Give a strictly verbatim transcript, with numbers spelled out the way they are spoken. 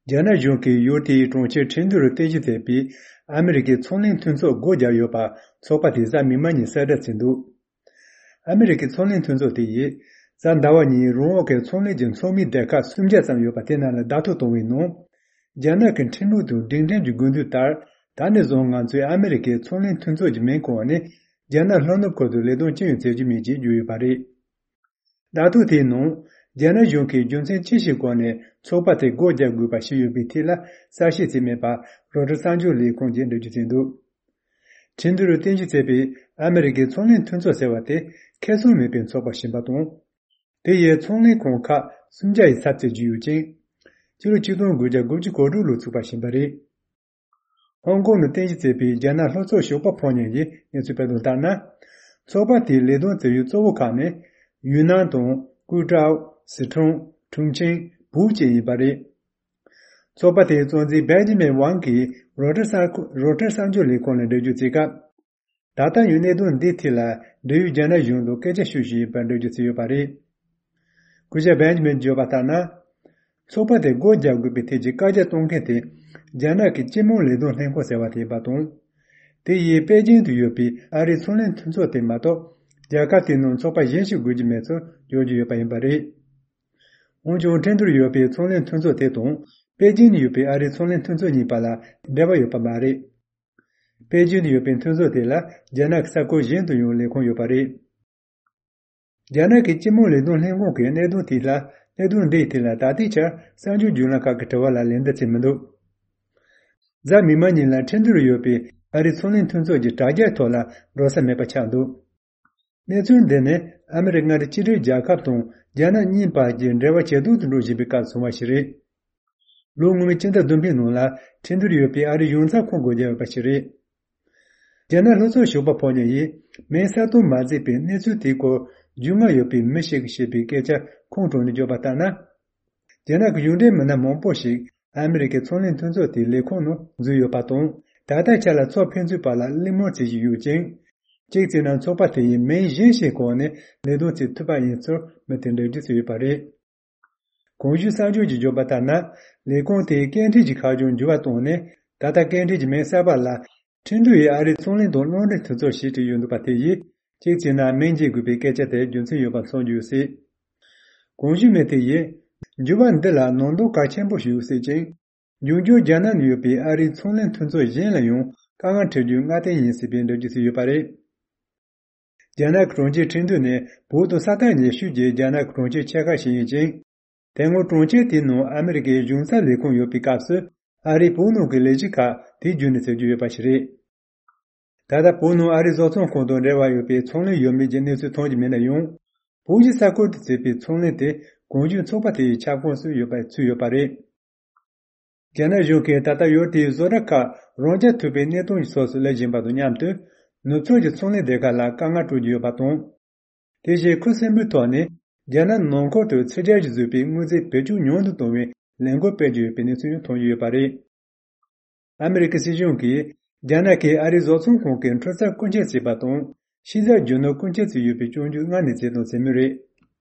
རྒྱ་ནག་གཞུང་གིས་ཡུལ་དེའི་གྲོང་ཁྱེར་ཁྲིན་ཏུའུ་རུ་རྟེན་གཞི་བྱས་པའི་ཨ་མི་རི་ཀའི་ཚོང་ལས་མཐུན་ཚོགས་སྒོ་བརྒྱབ་ཡོད་པ་ཚོགས་པ་དེས་གཟའ་མིག་དམར་ཉིན་གསལ་བསྒྲགས་བྱས་འདུག་ཨ་མི་རི་ཀའི་ཚོང་ལས་མཐུན་ཚོགས་དེ་ཡིས་གཟའ་ཟླ་བ་ཉིན་རོང་འོག་གི་ཚོང་ལས་ཀྱི་ཚོགས་མིའི་སྡེ་ཁག་སུམ་བརྒྱ་ཙམ་ཡོད་པ་དེ་རྣམས་ལ་བརྡ་ཐོ་བཏང་བའི་ནང་། རྒྱ་ནག་གི་ཁྲིམས་ལུགས་དང་སྒྲིག་ཁྲིམས་ཀྱི་དགོས་འདུན་ལྟར། ད་ནས་བཟུང་ང་ཚོས་ཨ་མི་རི་ཀའི་ཚོང་ལས་མཐུན་ཚོགས་ཀྱི་མིང་གོང་ནས་རྒྱ་ནག་ལྷོ་ནུབ་ཁུལ་དུ་ལས་དོན་ཅི་ཡང་བྱེད་རྒྱུ་མེད་ཅེས་བརྗོད་ཡོད་པ་རེད། བརྡ་ཐོ་དེའི་ནང་། རྒྱ་ནག་གཞུང་གིས་རྒྱུ་མཚན་ཅི་ཞིག་སྐོར་ནས་ཚོགས་པ་དེ་སྒོ་རྒྱག་དགོས་པ་ཞིག་ཡོད་པའི་ཐད་ལ་གསལ་བཤད་བྱས་མེད་པ་རོའི་ཊར་གསར་འགྱུར་ལས་ཁང་གིས་འགྲེལ་བརྗོད་བྱས་འདུག་ཁྲིན་ཏུའུ་རུ་རྟེན་གཞི་བྱས་པའི་ཨ་མི་རི་ཀའི་ཚོང་ལས་མཐུན་ཚོགས་ཟེར་བ་དེ་ཁེ་བཟང་མེད་པའི་ཚོགས་པ་ཞིག་ཡིན་པ་དང་། དེ་ཡིས་ཚོང་ལས་ཁང་ཁག་སུམ་བརྒྱ་ཡི་ཚབ་བྱེད་ཀྱི་ཡོད་ཅིང་། ཕྱི་ལོ་ཆིག་སྟོང་དགུ་བརྒྱ་དགུ་བཅུ་གོ་དྲུག་ལོར་ཚུགས་པ་ཞིག་ཡིན་པ་རེད། ཧོང་ཀོང་ནང་རྟེན་གཞི་བྱས་པའི་རྒྱ་ནག་ལྷོ་ཕྱོགས་ཞོགས་པ་ཕོ་ཉ་ཡིས་གནས་ཚུལ་སྤེལ་དོན་ལྟར་ན། ཚོགས་པ་དེའི་ལས་དོན་བྱེད་ཡུལ་གཙོ་བོ་ཁག་ནི། ཡུན་ནན་དང་། ཀུའུ་ཀྲའོ། སི་ཁྲོན། ཁྲུང་ཆིང་། ཧྥུའུ་ཅན་ཡིན་པ་རེད། ཚོགས་པ་དེའི་གཙོ་འཛིན་བེན་ཇི་མིན་ཝང་གིས་རོའི་ཊར་གསར་རོའི་ཊར་གསར་འགྱུར་ལས་ཁང་ལ་འགྲེལ་བརྗོད་བྱས་སྐབས། ད་ལྟ་ཡང་གནད་དོན་འདིའི་ཐད་ལ་འབྲེལ་ཡོད་རྒྱ་ནག་གཞུང་དང་སྐད་ཆ་ཤོད་བཞིན་ཡོད་པར་འགྲེལ་བརྗོད་བྱས་ཡོད་པ་རེད། སྐུ་ཞབས་བེན་ཇི་མིན་བརྗོད་པ་ལྟར་ན། ཚོགས་པ་དེ་སྒོ་རྒྱག་དགོས་པའི་ཐད་ཀྱི་བཀའ་རྒྱ་གཏོང་མཁན་དེ་རྒྱ་ནག་གི་སྤྱི་དམངས་ལས་དོན་ལྷན་ཁང་ཟེར་བ་དེ་ཡིན་པ་དང་། དེ་ཡིས་པེ་ཅིང་དུ་ཡོད་པའི་ཨ་རིའི་ཚོང་ལས་མཐུན་ཚོགས་དེ་མ་གཏོགས་རྒྱལ་ཁབ་དེའི་ནང་ཚོགས་པ་གཞན་ཞིག་དགོས་ཀྱི་མེད་ཚུལ་བརྗོད་ཀྱི་ཡོད་པ་ཡིན་པ་རེད། འོན་ཀྱང་ཁྲིན་ཏུའུ་རུ་ཡོད་པའི་ཚོང་ལས་མཐུན་ཚོགས་དེ་དང་པེ་ཅིང་དུ་ཡོད་པའི་ཨ་རིའི་ཚོང་ལས་མཐུན་ཚོགས་གཉིས་བར་ལ་འབྲེལ་བ་ཡོད་པ་མ་རེད། པེ་ཅིང་དུ་ཡོད་པའི་མཐུན་ཚོགས་དེ་ལ་རྒྱ་ནག་གི་ས་ཁུལ་གཞན་དུ་ཡང་ལས་ཁུངས་ཡོད་པ་རེད། རྒྱ་ནག་གི་སྤྱི་དམངས་ལས་དོན་ལྷན་ཁང་གིས་གནད་དོན་དེ་ལ་གནད་དོན་འདིའི་ཐད་ལ་ད་ལྟའི་ཆར་གསར་འགྱུར་བརྒྱུད་ལམ་ཁག་གི་དྲི་བ་ལ་ལན་འདེབས་བྱས་མི་འདུག་གཟའ་མིག་དམར་ཉིན་ལ་ཁྲིན་ཏུའུ་རུ་ཡོད་པའི་ཨ་རིའི་ཚོང་ལས་མཐུན་ཚོགས་ཀྱི་དྲ་རྒྱའི་ཐོག་ལ་འགྲོ་ས་མེད་པ་ཆགས་འདུག་གནས་ཚུལ་འདི་ནི་ཨ་མི་རི་ཀ་མངའ་སྡེ་གཅིག་སྒྲིལ་རྒྱལ་ཁབ་དང་རྒྱ་ནག་གཉིས་བར་གྱི་འབྲེལ་བ་ཇེ་སྡུག་ཏུ་འགྲོ་བཞིན་པའི་སྐབས་བྱུང་བ་ཞིག་རེད། ལོ་སྔོན་མའི་ཕྱི་ཟླ་བདུན་པའི་ནང་ལ་ཁྲིན་ཏུའུ་རུ་ཡོད་པའི་ཨ་རིའི་གཞུང་ཚབ་ཁང་སྒོ་བརྒྱབ་ཡོད་པ་ཞིག་རེད། རྒྱ་ནག་ལྷོ་ཕྱོགས་ཞོགས་པ་ཕོ་ཉ་ཡིས་མིང་གསལ་སྟོན་མ་མཛད་པའི་གནས་ཚུལ་དེའི་སྐོར་རྒྱུས་མངའ་ཡོད་པའི་མི་ཞིག་གིས་བཤད་པའི་སྐད་ཆ་ཁོང་གྲོང་ནས་བརྗོད་པ་ལྟར་ན། རྒྱ་ནག་གི་གཞུང་འབྲེལ་མི་སྣ་མང་པོ་ཞིག་ཨ་མི་རི་ཀའི་ཚོང་ལས་མཐུན་ཚོགས་དེའི་ལས་ཁུངས་ནང་འཛུལ་ཡོད་པ་དང་། ད་ལྟའི་ཆར་ལ་ཚོགས་ཕན་ཚུན་བར་ལ་གླེང་མོལ་བྱེད་བཞིན་ཡོད་ཅིང་། གཅིག་བྱས་ན་ཚོགས་པ་དེ་ཡིས་མིང་གཞན་ཞིག་གི་འོག་ནས་ལས་དོན་བྱེད་ཐུབ་པ་ཡིན་ཚུལ་མི་དེས་འགྲེལ་བརྗོད་བྱས་ཡོད་པ་རེད། གོང་ཞུས་གསར་འགྱུར་གྱིས་བརྗོད་པ་ལྟར་ན། ལས་ཁུངས་དེའི་སྐད་འཕྲིན་གྱི་ཁ་བྱང་འགྱུར་བ་བཏང་ནས། ད་ལྟ་སྐད་འཕྲིན་གྱི་མིང་གསར་པ་ལ། ཁྲིན་ཏུའུ་ཡི་ཨ་རིའི་ཚོང་ལས་དང་རླུང་འཕྲིན་མཐུན་ཚོགས་ཞེས་བྲིས་ཡོད་འདུག་པ་དེ་ཡིས། གཅིག་བྱས་ན་མིང་བརྗེ་དགོས་པའི་སྐད་ཆ་དེར་རྒྱུ་མཚན་ཡོད་པ་མཚོན་རྒྱུ་ཡོད་སྲིད། གོང་ཞུས་མི་དེ་ཡིས། འགྱུར་བ་འདི་ལ་ནང་དོན་གལ་ཆེན་པོ་ཞིག་ཡོད་སྲིད་ཅིང་། འབྱུང་འགྱུར་རྒྱ་ནག་ནང་ཡོད་པའི་ཨ་རིའི་ཚོང་ལས་མཐུན་ཚོགས་གཞན་ལ་ཡང་དཀའ་ངལ་འཕྲད་རྒྱུའི་སྔ་རྟིང་ཡིན་སྲིད་པའི་འགྲེལ་བརྗོད་བྱས་ཡོད་པ་རེད། རྒྱ་ནག་གི་གྲོང་ཁྱེར་ཁྲིན་ཏུའུ་ནི་བོད་དང་ས་ཐག་ཉེ་ཤོས་ཀྱི་རྒྱ་ནག་གི་གྲོང་ཁྱེར་ཆེ་ཁག་ཞིག་ཡིན་ཅིང་། དེ་སྔོན་གྲོང་ཁྱེར་དེའི་ནང་ཨ་མི་རི་ཀའི་གཞུང་ཚབ་ལས་ཁུངས་ཡོད་པའི་སྐབས་སུ། ཨ་རིའི་བོད་ནང་གི་ལས་བྱེད་ཁག་དེའི་བརྒྱུད་ནས་བྱེད་རྒྱུ་ཡོད་པ་ཞིག་རེད། ད་ལྟ་བོད་ནང་ཨ་རིའི་བཟོ་ཚོང་ཁང་དང་འབྲེལ་བ་ཡོད་པའི་ཚོང་ལས་ཡོད་མེད་ཀྱི་གནས་ཚུལ་མཐོང་རྒྱུ་མེད་ན་ཡང་། བོད་ཀྱི་ས་ཁུལ་དུ་བྱེད་པའི་ཚོང་ལས་དེ་གོང་ཞུས་ཚོགས་པ་དེ་ཡི་ཁྱབ་ཁོངས་སུ་ཡོད་པ་ཚུད་ཡོད་པ་རེད། རྒྱ་ནག་གཞུང་གིས་ད་ལྟ་ཡུལ་དེའི་བཟོ་གྲྭ་ཁག་རང་རྐྱ་ཐུབ་པའི་གནས་སྟངས་ཀྱི་ཕྱོགས་སུ་སླེབས་བཞིན་པ་དང་མཉམ་དུ། ནུབ་ཕྱོགས་ཀྱི་ཚོང་ལས་སྡེ་ཁག་ལ་དཀའ་ངལ་སྤྲོད་ཀྱི་ཡོད་པ་དང་། དེ་བཞིན་ཁུ་སིམ་པོའི་ཐོག་ནས་རྒྱ་ནག་ནང་ཁུལ་དུ་ཕྱི་རྒྱལ་གྱིས་བཟོས་པའི་དངོས་རྫས་བེད་སྤྱོད་ཉུང་དུ་གཏོང་བའི་ལས་འགུལ་སྤེལ་གྱི་ཡོད་པའི་གནས་ཚུལ་ཡང་མཐོང་རྒྱུ་ཡོད་པ་རེད། ཨ་མི་རི་ཀའི་སྲིད་གཞུང་གིས་རྒྱ་ནག་གིས་ཨ་རིའི་བཟོ་ཚོང་ཁང་གི་འཕྲུལ་རྩལ་རྐུ་འཁྱེར་བྱས་པ་དང་། ཕྱི་རྒྱལ་རྒྱུ་ནོར་རྐུ་འཁྱེར་བྱས་ཡོད་པའི་སྐྱོན་བརྗོད་སྔར་ནས་བྱས་དང་བྱེད་མུས་རེད།